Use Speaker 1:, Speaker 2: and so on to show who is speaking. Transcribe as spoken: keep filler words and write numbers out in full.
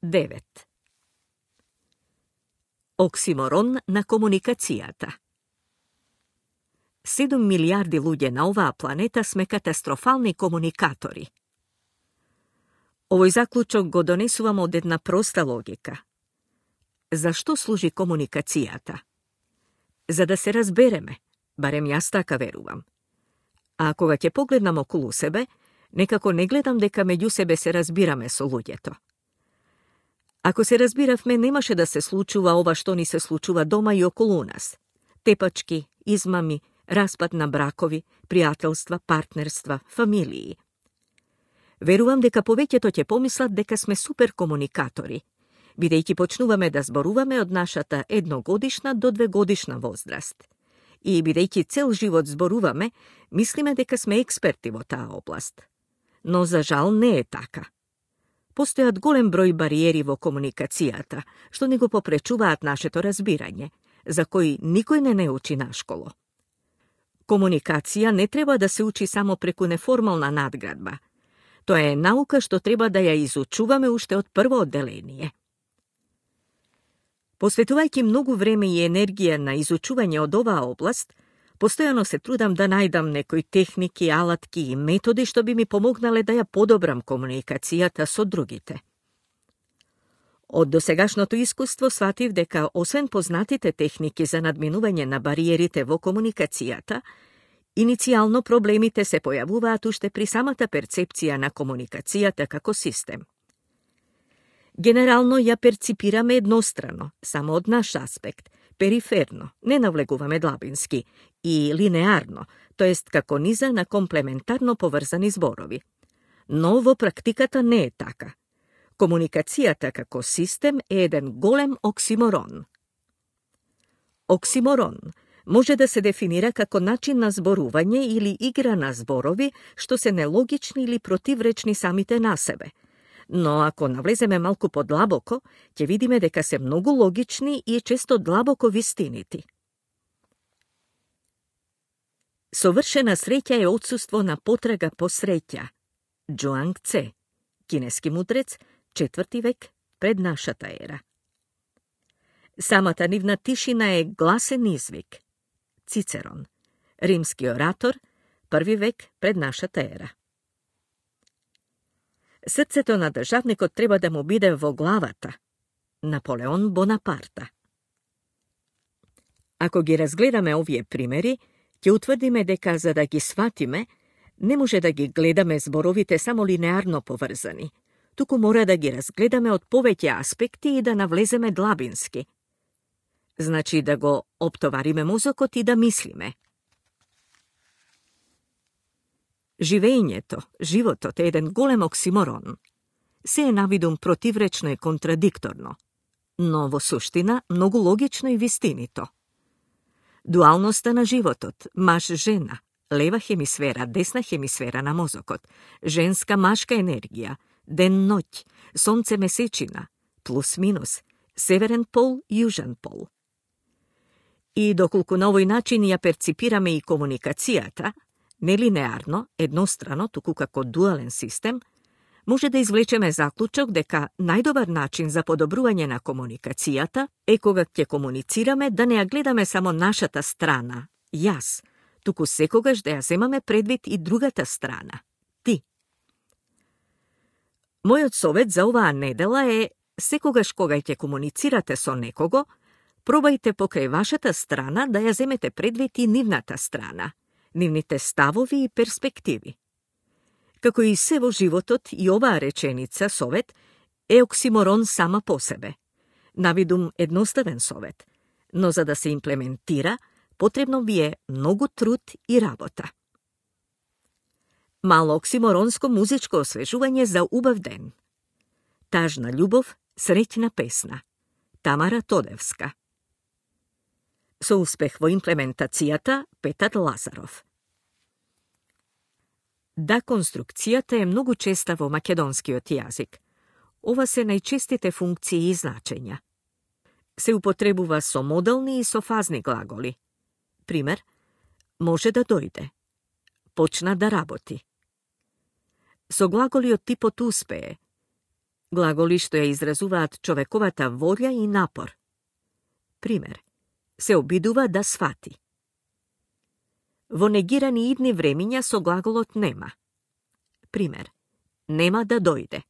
Speaker 1: девет. Оксиморон на комуникацијата. седум милијарди луѓе на оваа планета сме катастрофални комуникатори. Овој заклучок го донесувам од една проста логика. Зашто служи комуникацијата? За да се разбереме, барем јас така верувам. А кога ќе погледнам околу себе, некако не гледам дека меѓу себе се разбираме со луѓето. Ако се разбиравме, немаше да се случува ова што ни се случува дома и околу нас. Тепачки, измами, распад на бракови, пријателства, партнерства, фамилии. Верувам дека повеќето ќе помислат дека сме супер комуникатори, бидејќи почнуваме да зборуваме од нашата едногодишна до двегодишна возраст. И бидејќи цел живот зборуваме, мислиме дека сме експерти во таа област. Но за жал не е така. Постојат голем број бариери во комуникацијата, што ни го попречуваат нашето разбирање, за кои никој не не учи на школо. Комуникација не треба да се учи само преку неформална надградба. Тоа е наука што треба да ја изучуваме уште од прво одделение. Посветувајќи многу време и енергија на изучување од оваа област, постојано се трудам да најдам некои техники, алатки и методи што би ми помогнале да ја подобрам комуникацијата со другите. Од досегашното искуство сватив дека, освен познатите техники за надминување на бариерите во комуникацијата, иницијално проблемите се појавуваат уште при самата перцепција на комуникацијата како систем. Генерално ја перципираме еднострано, само од наш аспект, периферно, не навлегуваме длабински, и линеарно, тоест како низа на комплементарно поврзани зборови. Но во практиката не е така. Комуникацијата како систем е еден голем оксиморон. Оксиморон може да се дефинира како начин на зборување или игра на зборови што се нелогични или противречни самите на себе. Но ако навлеземе малку подлабоко, ќе видиме дека се многу логични и често длабоко вистинити. Совршена среќа е отсуство на потрага по среќа. Џуанг Це, кинески мудрец, четврти век пред нашата ера. Самата нивна тишина е гласен извик. Цицерон, римски оратор, први век пред нашата ера. Срцето на државникот треба да му биде во главата. Наполеон Бонапарта. Ако ги разгледаме овие примери, ќе утврдиме дека за да ги сватиме, не може да ги гледаме зборовите само линеарно поврзани, туку мора да ги разгледаме од повеќе аспекти и да навлеземе длабински. Значи да го оптовариме мозокот и да мислиме. Живењето, животот е еден голем оксиморон. Се е навидум противречно и контрадикторно, но во суштина многу логично и вистинито. Дуалноста на животот, маж-жена, лева хемисфера, десна хемисфера на мозокот, женска-машка енергија, ден-ноќ, сонце-месечина, плюс-минус, северен пол, јужен пол. И доколку на овој начин ја перципираме и комуникацијата, нелинеарно, еднострано, туку како дуален систем, може да извлечеме заклучок дека најдобар начин за подобрување на комуникацијата е кога ќе комуницираме да не ја гледаме само нашата страна, јас, туку секогаш да ја земаме предвид и другата страна, ти. Мојот совет за оваа недела е, секогаш кога ќе комуницирате со некого, пробајте покрај вашата страна да ја земете предвид и нивната страна, нивните ставови и перспективи. Како и се во животот, и оваа реченица, совет, е оксиморон сама по себе. Навидум едноставен совет, но за да се имплементира, потребно ви е многу труд и работа. Мало оксиморонско музичко освежување за убав ден. Тажна љубов, среќна песна. Тамара Тодевска. Со успех во имплементацијата, Петар Лазаров. Да, конструкцијата е многу честа во македонскиот јазик. Ова се најчестите функции и значења. Се употребува со модални и со фазни глаголи. Пример, може да дојде. Почна да работи. Со глаголи од типот успее. Глаголи што ја изразуваат човековата волја и напор. Пример, се обидува да свати. Во негирани идни времиња со глаголот нема. Пример, нема да дојде.